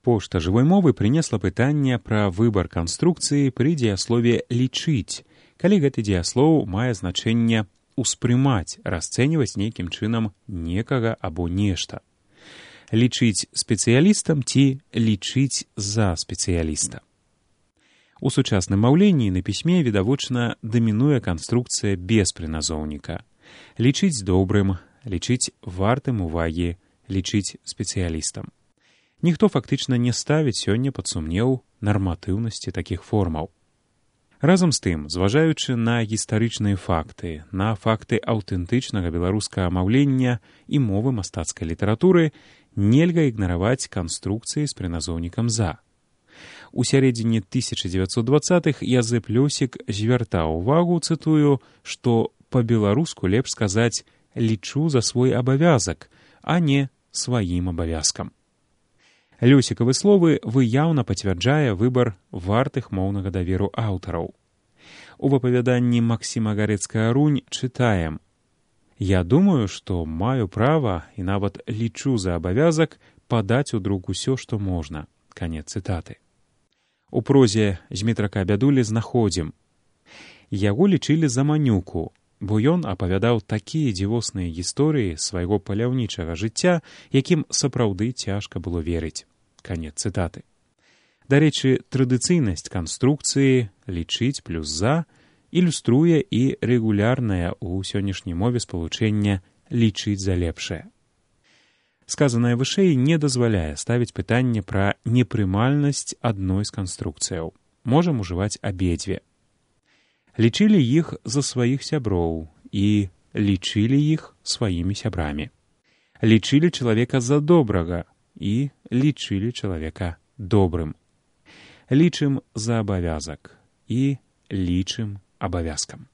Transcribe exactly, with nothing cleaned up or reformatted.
Пошта жывой мовы прынесла пытанне пра выбар канструкцыі пры дзеяслове «лічыць», калі гэты дзеяслоў мае значэнне «успрымаць», расцэньваць нейкім чынам некага або нешта. Лічыць спецыялістам ці лічыць за спецыяліста. У сучасным маўленні на пісьме відавочна дамінуе канструкцыя без прыназоўніка. Лічыць добрым, лічыць вартым увагі, лічыць спецыялістам. Ніхто фактычна не ставіць сёння пад сумнеў нарматыўнасці такіх формаў. Разам з тым, зважаючы на гістарычныя факты, на факты аўтэнтычнага беларускага маўлення і мовы мастацкай літаратуры, нельга ігнараваць канструкцыі з прыназоўнікам «за». У сярэдзіне тысяча дзевяцьсот дваццатых Язэп Лёсік звяртаў увагу, цытую, што па-беларуску лепш сказаць «лічу за свой абавязак», а не «сваім абавязкам». Лёсікавы словы выяўна пацвярджае выбар вартых моўнага даверу аўтараў. У апавяданні Максіма Гарэцкага-Рунь чытаем: «Я думаю, што маю права і нават лічу за абавязак падаць у друк усё, што можна». Канец цытаты. У прозе Змітрака Бядулі знаходзім: «Яго лічылі за манюку, бо ён апавядаў такія дзівосныя гісторыі свайго паляўнічага жыцця, якім сапраўды цяжка было верыць». Канец цытаты. Дарэчы, традыцыйнасць канструкцыі «лічыць плюс за» ілюструе і рэгулярнае ў сённяшняй мове спалучэнне «лічыць за лепшае». Сказанае вышэй не дазваляе ставіць пытанне пра непрымальнасць адной з канструкцыяў. Можам ужываць абедзве. Лічылі іх за сваіх сяброў і лічылі іх сваімі сябрамі. Лічылі чалавека за добрага і лічылі чалавека добрым. Лічым за абавязак і лічым абавязкам.